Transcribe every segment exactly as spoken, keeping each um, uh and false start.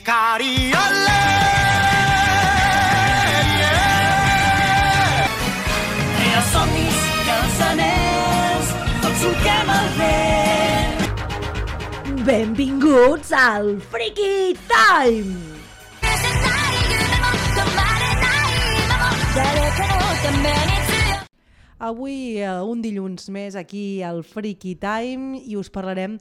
Cari olè, yeah. I els somnis i els anells tots solquem el vent. Benvinguts al Freaky Time! Avui eh, un dilluns més aquí al Freaky Time i us parlarem,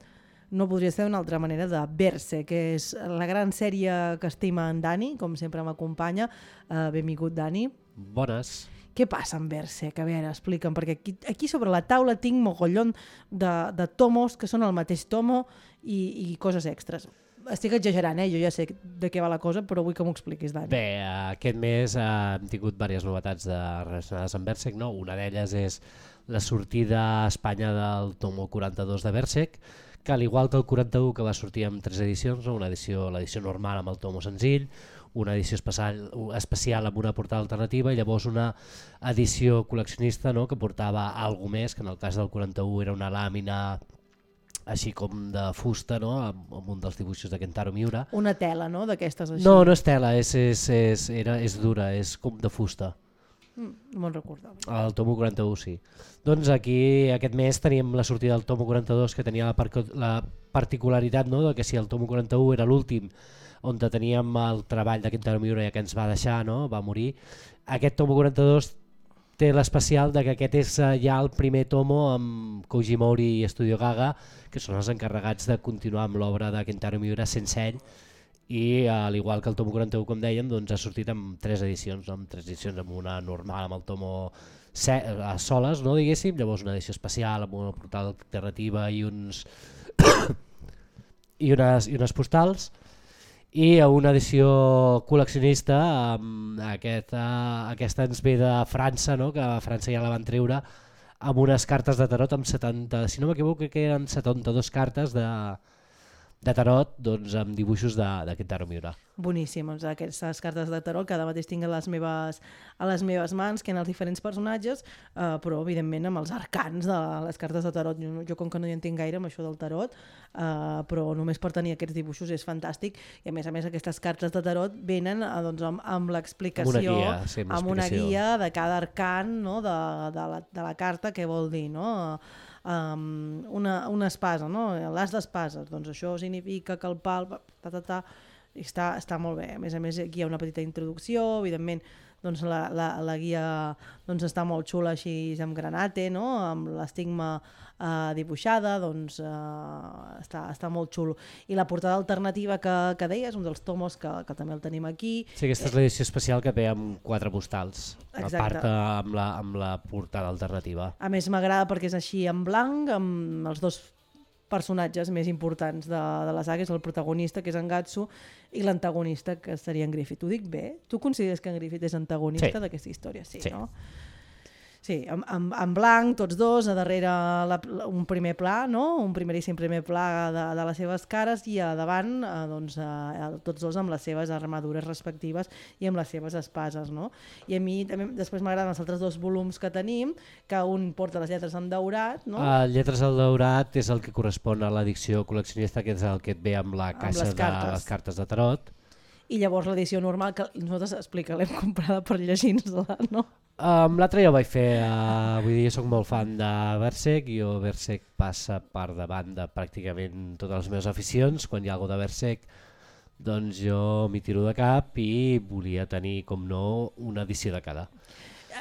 no podria ser d'una altra manera, de Berserk, que és la gran sèrie que estima en Dani, com sempre m'acompanya. Uh, benvingut, Dani. Bones. Què passa amb Berserk? A veure, explica'm, perquè aquí, aquí sobre la taula tinc mogollon de, de tomos que són el mateix tomo i, i coses extras. Estic exagerant, eh? Jo ja sé de què va la cosa, però vull que m'ho expliquis, Dani. Bé, aquest mes eh, hem tingut diverses novetats de, relacionades amb Berserk, no? Una d'elles és la sortida a Espanya del tomo quaranta-dos de Berserk, que al igual que el quaranta-u, que va sortir amb tres edicions, no? Una edició, l'edició normal amb el tomo senzill, una edició especial, especial amb una portada alternativa i llavors una edició col·leccionista, no? Que portava alguna més, que en el cas del quaranta-u era una làmina així com de fusta, no? amb, amb un dels dibuixos de Kentaro Miura. Una tela, no?, d'aquestes així. No, no és tela, és, és, és, era, és dura, és com de fusta. Mm, no me'n recordava. El tomo quaranta-u, sí. Doncs aquí aquest mes teníem la sortida del tomo quaranta-dos, que tenia la, par la particularitat, no?, de que si el tomo quaranta-u era l'últim on teníem el treball de Kentaro Miura ja que ens va deixar, no?, va morir, aquest tomo quaranta-dos té l'especial de que aquest és ja el primer tomo amb Koji Mori i Studio Gaga, que són els encarregats de continuar amb l'obra de Kentaro Miura sense ell, i al igual que el tomo quaranta-u, com dèiem, doncs ha sortit amb tres edicions, no? Amb tres edicions, amb una normal amb el tomo a soles, no, diguéssim, llavors una edició especial amb una portada alternativa i uns i unes, i unes postals, i una edició col·leccionista, amb aquesta, aquesta ens ve de França, no? Que a França ja la van treure, amb unes cartes de tarot amb setanta, si no m'equivoco que eren setanta-dues cartes de, de tarot, doncs amb dibuixos de, de Kentaro Miura. Boníssim, doncs aquestes cartes de tarot que ara mateix tinc a les meves, a les meves mans, que en els diferents personatges, eh, però evidentment amb els arcans de les cartes de tarot. Jo, jo com que no hi entenc gaire amb això del tarot, eh, però només per tenir aquests dibuixos és fantàstic, i a més a més aquestes cartes de tarot venen eh, doncs, amb, amb l'explicació, amb una guia, sí, amb amb una guia de cada arcan, no? de, de, la, de la carta, què vol dir, no? Um, una, una espasa, no? L'as d'espases, doncs això significa que el pal, ta, ta, ta, està, està molt bé. A més a més aquí hi ha una petita introducció, evidentment doncs la, la, la guia doncs està molt xula així amb granate, no? Amb l'estigma eh, dibuixada, doncs eh, està, està molt xulo. I la portada alternativa que, que deies, un dels tomos que, que també el tenim aquí. Sí, aquesta és l'edició especial que ve amb quatre postals, Exacte. a part amb la, amb la portada alternativa. A més m'agrada perquè és així en blanc, amb els dos personatges més importants de, de la saga, és el protagonista, que és en Gatsu, i l'antagonista, que seria en Griffith. Ho dic bé? Tu consideres que en Griffith és antagonista sí. d'aquesta història? Sí, sí. no? Sí, en, en, en blanc, tots dos, a darrere la, un primer pla, no? Un primeríssim primer pla de, de les seves cares, i a davant eh, doncs, eh, tots dos amb les seves armadures respectives i amb les seves espases, no? I a mi també després m'agraden els altres dos volums que tenim, que un porta les lletres en daurat, no? Uh, lletres al daurat és el que correspon a l'edició col·leccionista, que és el que et ve amb la caixa amb de les cartes de tarot. I llavors l'edició normal, que nosaltres, explica, l'hem comprada per llegir-nos-la, no? Um, L'altre ja ho vaig fer, uh, vull dir, jo soc molt fan de Berserk, i Berserk passa per davant de pràcticament totes les meves aficions. Quan hi ha alguna de Berserk, doncs jo m'hi tiro de cap i volia tenir, com no, una edició de cada.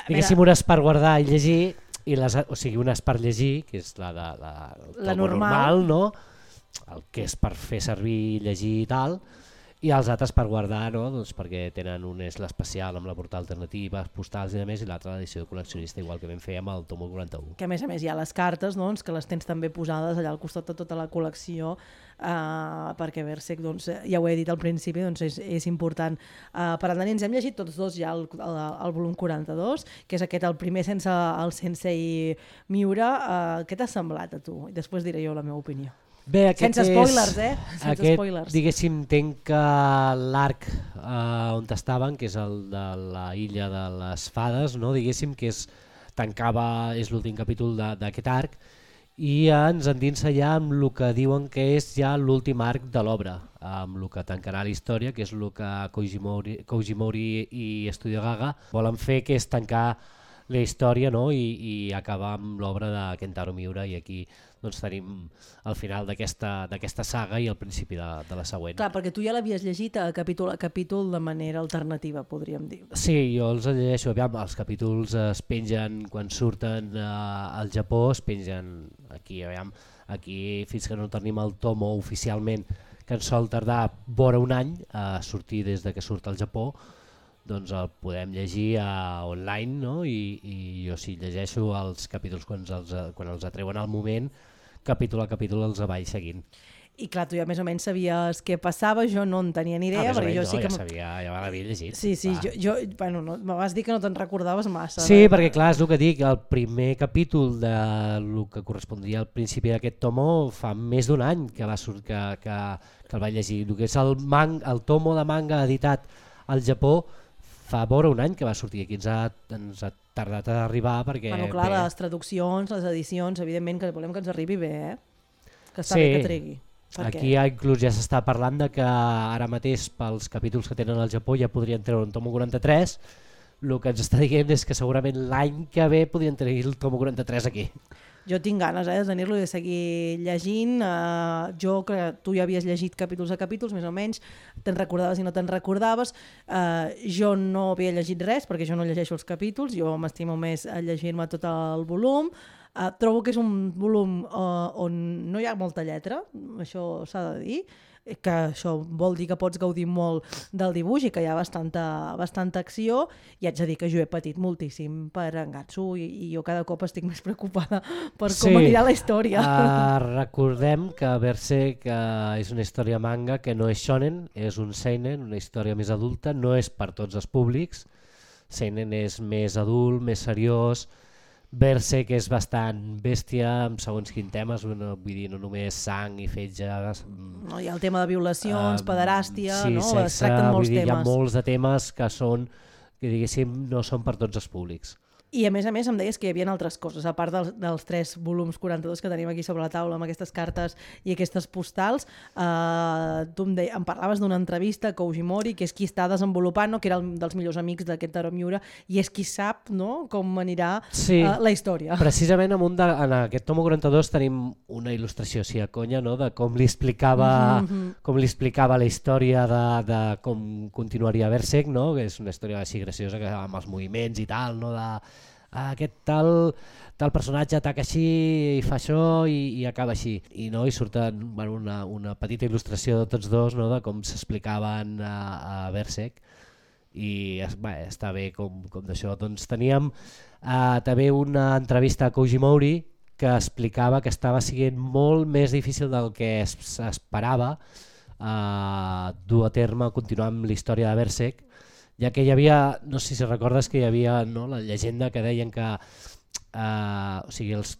Diguéssim, unes per guardar i llegir, i les, o sigui, unes per llegir, que és la, de, la, la normal, normal, no? El que és per fer servir, llegir i tal, i els altres per guardar, no? Doncs perquè tenen un és l'especial amb la portada alternativa, postals i a més, i l'altra l'edició de col·leccionista, igual que vam fer amb el tomo quaranta-u. Que a més a més hi ha les cartes, doncs, que les tens també posades allà al costat de tota la col·lecció, eh, perquè Berserk, doncs, ja ho he dit al principi, doncs és, és important. Eh, per tant, ens hem llegit tots dos ja el, el, el volum quaranta-dos, que és aquest, el primer sense el Sensei Miura. Eh, què t'ha semblat a tu? I després diré jo la meva opinió. Bé, sense spoilers, eh? Sense aquest, spoilers. Diguéssim, entenc que l'arc eh, on estaven, que és el de la illa de les fades, no? Diguéssim que és, tancava, és l'últim capítol d'aquest arc, i ens endinsa ja amb el que diuen que és ja l'últim arc de l'obra, amb el que tancarà la història, que és el que Koji Mori, Koji Mori i Studio Gaga volen fer, que és tancar la història, no? I, i acabar amb l'obra de Kentaro Miura, i aquí doncs, tenim el final d'aquesta saga i el principi de, de la següent. Clar, perquè tu ja l'havies llegit a capítol a capítol de manera alternativa, podríem dir. Sí, jo els llegeixo, aviam, els capítols es pengen quan surten eh, al Japó, es pengen aquí, aviam, aquí fins que no tenim el tomo oficialment, que ens sol tardar vora un any a sortir des de que surt al Japó, doncs el podem llegir uh, online, no? I, i jo sí llegeixo els capítols quan els, quan els atreuen al moment, capítol a capítol els vaig seguint. I clar, tu ja més o menys sabies què passava, jo no en tenia ni idea. Ah, perquè menys, jo sí no, que ja sabia, ja l'havia llegit. Sí, sí, jo, jo, bueno, no, me vas dir que no te'n recordaves massa. Sí, de... perquè clar, és el que dic, el primer capítol de el que correspondria al principi d'aquest tomo fa més d'un any que, va surt, que, que, que el vaig llegir. El que és el, man, el tomo de manga editat al Japó fa vora un any que va sortir, aquí ens ha, ens ha tardat a arribar perquè... Bueno, clar, bé, les traduccions, les edicions, evidentment que volem que ens arribi bé, eh? Que està sí, bé que tregui. Aquí ja inclús ja s'està parlant de que ara mateix pels capítols que tenen al Japó ja podrien treure un tomo quaranta-tres, el que ens està dient és que segurament l'any que ve podrien tenir el tomo quaranta-tres aquí. Jo tinc ganes eh, de tenir-lo i de seguir llegint. Uh, jo que tu ja havies llegit capítols a capítols, més o menys, te'n recordaves i no te'n recordaves. Uh, jo no havia llegit res perquè jo no llegeixo els capítols, jo m'estimo més a llegir-me tot el volum. Uh, trobo que és un volum uh, on no hi ha molta lletra, això s'ha de dir, que això vol dir que pots gaudir molt del dibuix i que hi ha bastanta, bastanta acció, i haig de dir que jo he patit moltíssim per Angatsu i, i jo cada cop estic més preocupada per com sí. anirà la història. Uh, recordem que Berserk uh, és una història manga que no és shonen, és un seinen, una història més adulta, no és per tots els públics. Seinen és més adult, més seriós. Berserk és bastant bèstia amb segons quin temes, no, vull dir, no només sang i fetge. No, hi ha el tema de violacions, uh, pederàstia, sí, no? sexe, es tracten molts dir, temes. Hi ha molts de temes que són, que diguéssim, no són per tots els públics. I a més a més em deies que hi havia altres coses, a part dels, dels tres volums quaranta-dos que tenim aquí sobre la taula amb aquestes cartes i aquestes postals. Uh, tu em, de, em parlaves d'una entrevista a Koji Mori, que és qui està desenvolupant, no? Que era un dels millors amics d'aquest Kentaro Miura, i és qui sap, no? Com anirà sí, uh, la història. Precisament en, un de, en aquest tomo quaranta-dos tenim una il·lustració, sí, a conya, no? De com li explicava, mm-hmm. com li explicava la història de, de com continuaria Berserk, no? Que és una història així graciosa, que amb els moviments i tal, no? De aquest tal, tal personatge ataca així i fa això i, i acaba així, i no, i surten bueno, una, una petita il·lustració de tots dos, no, de com s'explicaven a, a Berserk, i bé, està bé com, com d'això. Doncs teníem uh, també una entrevista a Koji Mori que explicava que estava sent molt més difícil del que s'esperava uh, dur a terme, continuar amb la història de Berserk, ja que hi havia, no sé si recordes que hi havia, no, la llegenda que deien que eh, o sigui, els,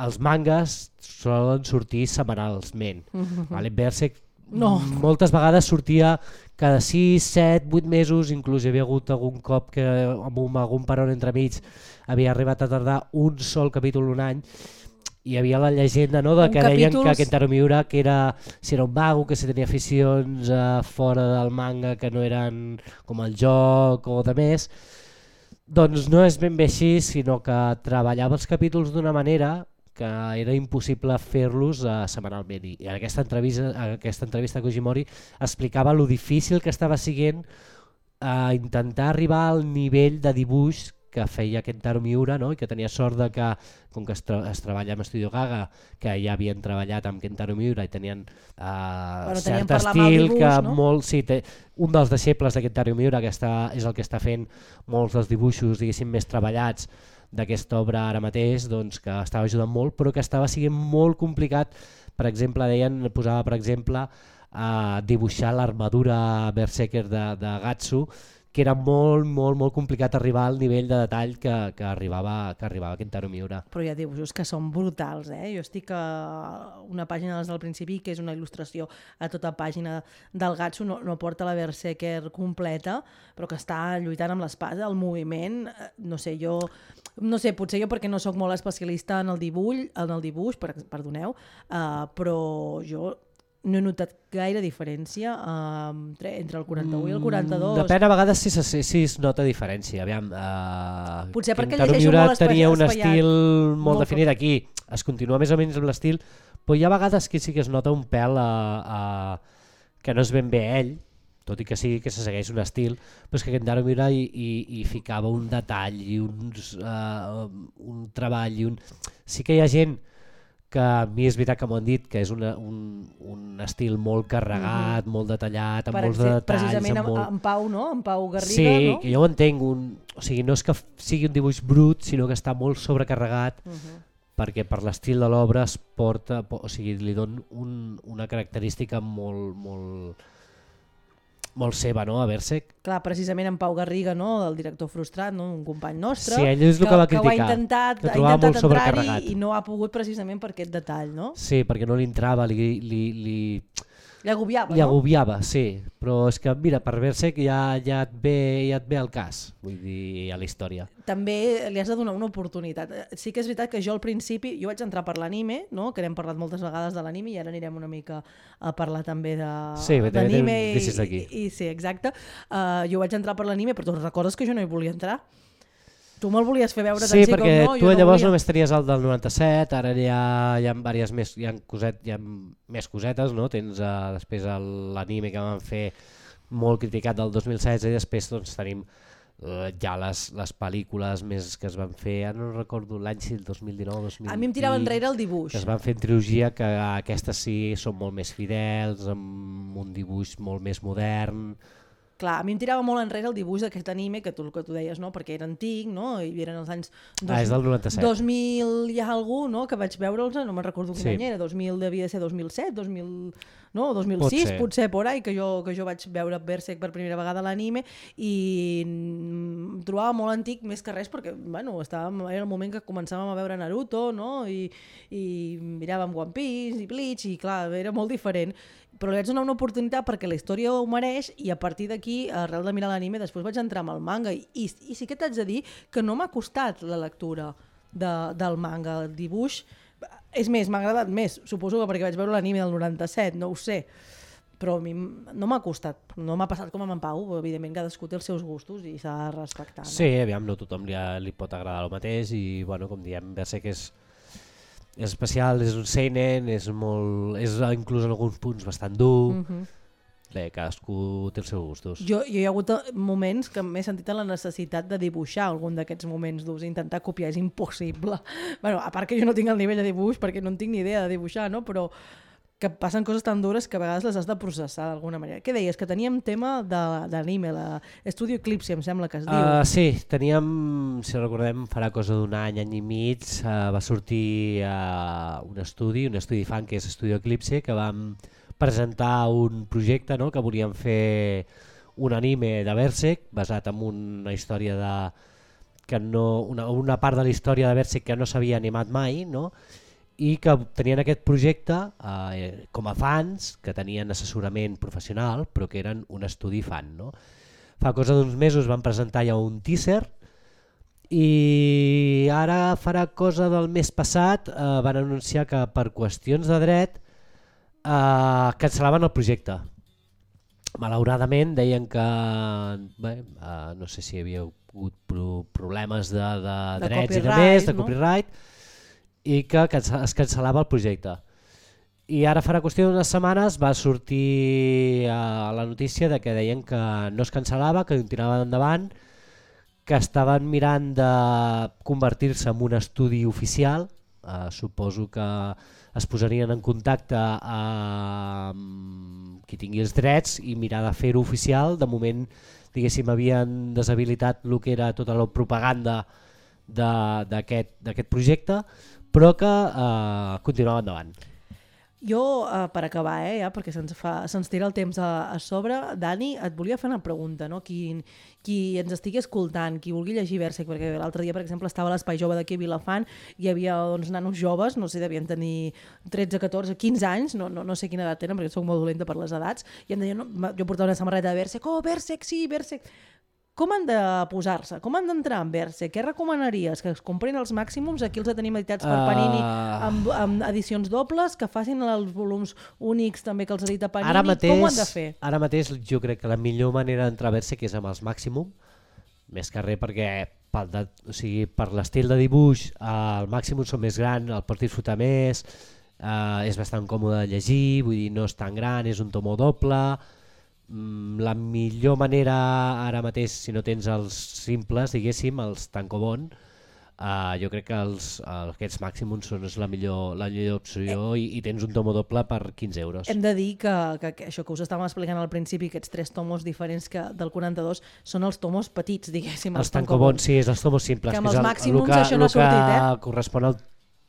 els mangas solen sortir setmanalment. Mm-hmm. Vale? Berserk no. moltes vegades sortia cada sis, set, vuit mesos, inclús hi havia hagut algun cop que amb un, algun peron entremig havia arribat a tardar un sol capítol un any. Hi havia la llegenda, no, de que deien capítols... que Kentaro Miura que era, si era un vago, que si tenia aficions uh, fora del manga que no eren com el joc o de més. Doncs no és ben bé així, sinó que treballava els capítols d'una manera que era impossible fer-los uh, setmanalment. I en aquesta entrevista, aquesta entrevista a Koji Mori explicava lo difícil que estava sent uh, intentar arribar al nivell de dibuix que feia Kentaro Miura, no? I que tenia sort de que, com que es, tra es treballa amb Studio Gaga, que ja havien treballat amb Kentaro Miura i tenien uh, bueno, cert estil, dibuix, que no? molt, sí, té, un dels deixebles de Kentaro Miura que està, és el que està fent molts dels dibuixos diguéssim més treballats d'aquesta obra ara mateix, doncs, que estava ajudant molt, però que estava sent molt complicat. Per exemple, deien, posava per exemple a uh, dibuixar l'armadura Berserker de, de Gatsu, que era molt, molt, molt complicat arribar al nivell de detall que, que arribava que arribava Kentaro Miura. Però hi ha dibuixos que són brutals, eh? Jo estic a una pàgina des del principi, que és una il·lustració a tota pàgina del Gatsu, no, no porta la Berserker completa, però que està lluitant amb l'espasa, el moviment, no sé, jo... No sé, potser jo perquè no sóc molt especialista en el dibuix, en el dibuix, per, perdoneu, uh, però jo... no he notat gaire diferència uh, entre, entre el quaranta-u i el quaranta-dos. Depèn, a vegades sí, sí, sí es nota diferència. Aviam, uh, potser perquè Kentaro llegeixo Miura molt espaiat, tenia un espaiat, estil molt, molt definit. Aquí es continua més o menys amb l'estil, però hi ha vegades que sí que es nota un pèl a, a, que no és ben bé ell, tot i que sí que se segueix un estil, però és que Kentaro Miura hi, hi, hi ficava un detall i uns, uh, un treball i un... Sí que hi ha gent que a mi és veritat que m'ho han dit, que és una, un, un estil molt carregat, mm-hmm. molt detallat, amb per molts de detalls. Precisament amb, molt... amb Pau, no? En Pau Garriga, sí, no? Sí, que jo ho entenc. Un... O sigui, no és que sigui un dibuix brut, sinó que està molt sobrecarregat, mm-hmm. perquè per l'estil de l'obra es porta, o sigui, li dona un, una característica molt, molt, molt seva, no?, a Berserk. Clar, precisament en Pau Garriga, no?, el director frustrat, no?, un company nostre, sí, ell és el que, que va criticar, que ho ha intentat, que ha intentat entrar-hi i no ha pogut precisament per aquest detall, no? Sí, perquè no li entrava, li... li, li... Li agobiava, li no? agobiava, sí, però és que mira, per Berserk ja, ja, et ve, ja et ve el cas, vull dir, a la història. També li has de donar una oportunitat. Sí que és veritat que jo al principi, jo vaig entrar per l'anime, no? Que n'hem parlat moltes vegades de l'anime i ara anirem una mica a parlar també de, sí, d'anime. Sí, i, i, sí, exacte. Uh, jo vaig entrar per l'anime, però tu recordes que jo no hi volia entrar? Tu me'l volies fer veure sí, tant sí com no, perquè tu no llavors volia. Només tenies el del noranta-set, ara hi ha, hi ha, diverses més, hi ha, coset, hi ha més cosetes, no? Tens uh, després l'anime que van fer molt criticat del dos mil setze i després doncs, tenim uh, ja les, les pel·lícules més que es van fer, ara no recordo l'any si el dos mil dinou dos mil vint. A mi em tirava enrere el dibuix. Que es van fer en trilogia, que aquestes sí són molt més fidels, amb un dibuix molt més modern. Clar, a mi em tirava molt enrere el dibuix d'aquest anime, que tu, que tu deies, no? Perquè era antic, no? I eren els anys... Dos, ah, és del noranta-set. dos mil hi ha algú, no? Que vaig veure'ls, no me'n recordo quin sí. any era, dos mil devia ser dos mil set, dos mil... no? dos mil sis, Pot ser. potser por ahí, que jo, que jo vaig veure Berserk per primera vegada a l'anime i em trobava molt antic més que res perquè, bueno, estàvem, era el moment que començàvem a veure Naruto, no? I, i miràvem One Piece i Bleach i clar, era molt diferent. Però li vaig donar una oportunitat perquè la història ho mereix i a partir d'aquí, arrel de mirar l'anime, després vaig entrar amb el manga i, i, i sí que t'haig de dir que no m'ha costat la lectura de, del manga, el dibuix. És més, m'ha agradat més, suposo que perquè vaig veure l'anime del noranta-set, no ho sé, però a mi no m'ha costat, no m'ha passat com amb en Pau, evidentment cadascú té els seus gustos i s'ha de respectar. No? Sí, aviam, no tothom li, li pot agradar el mateix i, bueno, com diem, Berserk és... és especial, és un seinen, és molt, és inclús en alguns punts bastant dur. Mm-hmm. Bé, cadascú té els seus gustos. Jo, jo hi ha hagut moments que m'he sentit en la necessitat de dibuixar algun d'aquests moments durs, intentar copiar, és impossible. Bueno, a part que jo no tinc el nivell de dibuix perquè no en tinc ni idea de dibuixar, no? Però que passen coses tan dures que a vegades les has de processar d'alguna manera. Què deies? Que teníem tema d'anime, l'Estudio Eclipse, em sembla que es diu. Uh, sí, teníem, si recordem, farà cosa d'un any, any i mig, uh, va sortir uh, un estudi, un estudi fan que és Estudio Eclipse, que vam presentar un projecte, no?, que volíem fer un anime de Berserk basat en una història de... que no, una, una part de la història de Berserk que no s'havia animat mai, no?, i que tenien aquest projecte eh, com a fans, que tenien assessorament professional, però que eren un estudi fan. No? Fa cosa d'uns mesos van presentar ja un teaser i ara farà cosa del mes passat eh, van anunciar que per qüestions de dret eh, cancel·laven el projecte. Malauradament deien que bé, eh, no sé si hi havia hagut pro problemes de, de, de drets i de més, de copyright, no? I que es cancel·lava el projecte. I ara farà qüestió d'unes setmanes va sortir a la notícia de que deien que no es cancel·lava, que continuaven endavant, que estaven mirant de convertir-se en un estudi oficial, eh, suposo que es posarien en contacte amb qui tingui els drets i mirar de fer-ho oficial. De moment, diguéssim, havien deshabilitat el que era tota la propaganda d'aquest projecte, però que eh, continuava endavant. Jo, uh, per acabar, eh, ja, perquè se'ns fa, se'ns tira el temps a, a sobre, Dani, et volia fer una pregunta, no? Qui, qui ens estigui escoltant, qui vulgui llegir Berserk, perquè l'altre dia, per exemple, estava a l'Espai Jove d'aquí a Vilafant, hi havia doncs, nanos joves, no sé, devien tenir tretze, catorze, quinze anys, no, no, no sé quina edat tenen, perquè soc molt dolenta per les edats, i em deien, no, jo portava una samarreta de Berserk, oh, Berserk, sí, Berserk... Com han de posar-se? Com han d'entrar en Berserk? Què recomanaries? Que es comprin els màximums? Aquí els tenim editats per Panini Uh, amb, amb edicions dobles, que facin els volums únics també que els edita Panini. Ara mateix, com ho han de fer? Ara mateix jo crec que la millor manera d'entrar a Berserk és amb els màximum, més que res perquè pel de, o sigui, per l'estil de dibuix eh, el màximum són més gran, el pots disfrutar més, eh, és bastant còmode de llegir, vull dir, no és tan gran, és un tomo doble. La millor manera ara mateix, si no tens els simples, diguéssim, els tankobon, uh, jo crec que els, aquests màximums són la millor, la millor opció i, i tens un tomo doble per quinze euros. Hem de dir que, que, que això que us estàvem explicant al principi, aquests tres tomos diferents que del quaranta-dos, són els tomos petits, diguéssim. Els, els tankobon, sí, és els tomos simples. Que amb que els és el, màximums el que, això no ha sortit, eh? El que correspon al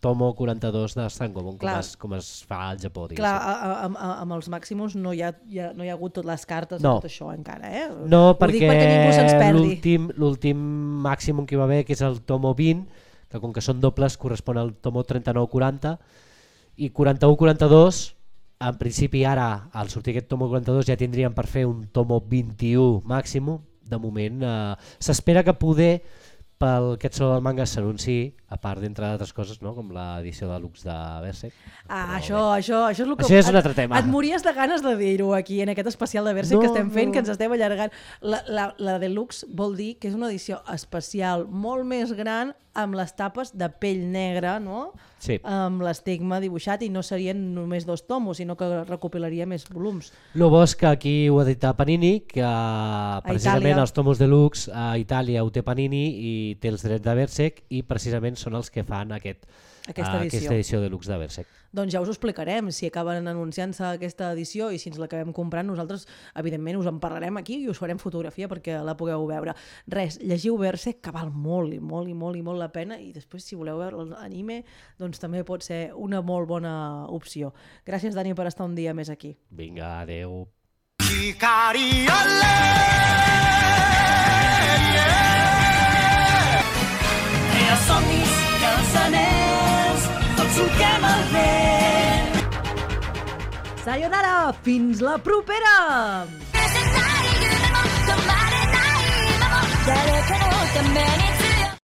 tomo quaranta-dos de tankobon, com, es, com es fa al Japó. Diguéssim. Clar, a, a, a, amb els màximums no hi ha, hi ha, no hi ha hagut totes les cartes, no. tot això encara, eh? No, Ho perquè, dic perquè ningú se'ns perdi. L'últim màximum que hi va haver, que és el tomo vint, que com que són dobles correspon al tomo trenta-nou quaranta, i quaranta-u quaranta-dos, en principi ara, al sortir aquest tomo quaranta-dos, ja tindríem per fer un tomo vint-i-u màximum. De moment eh, s'espera que poder pel aquest solo del manga s'anunci, a part d'entre d'altres coses, no? Com l'edició de luxe de Berserk. Ah, això, això, això és el que... Això és un altre tema. Et, et mories de ganes de dir-ho aquí, en aquest especial de Berserk no, que estem fent, no. que ens estem allargant. La, la, la deluxe vol dir que és una edició especial, molt més gran, amb les tapes de pell negra, no? Sí. Amb l'estigma dibuixat, i no serien només dos tomos, sinó que recopilaria més volums. El bo és que aquí ho ha dit Panini, que precisament els tomos deluxe a Itàlia ho té Panini i té els drets de Berserk, i precisament són els que fan aquest, aquesta, edició. aquesta edició deluxe de Berserk. Doncs ja us ho explicarem, si acaben anunciant-se aquesta edició i si ens l'acabem comprant, nosaltres evidentment us en parlarem aquí i us farem fotografia perquè la pugueu veure. Res, llegiu Berserk, que val molt i molt i molt i molt la pena, i després si voleu veure l'anime doncs també pot ser una molt bona opció. Gràcies, Dani, per estar un dia més aquí. Vinga, adeu. Crea somnis i els anells, tots solquem el vent. Sayonara, fins la propera!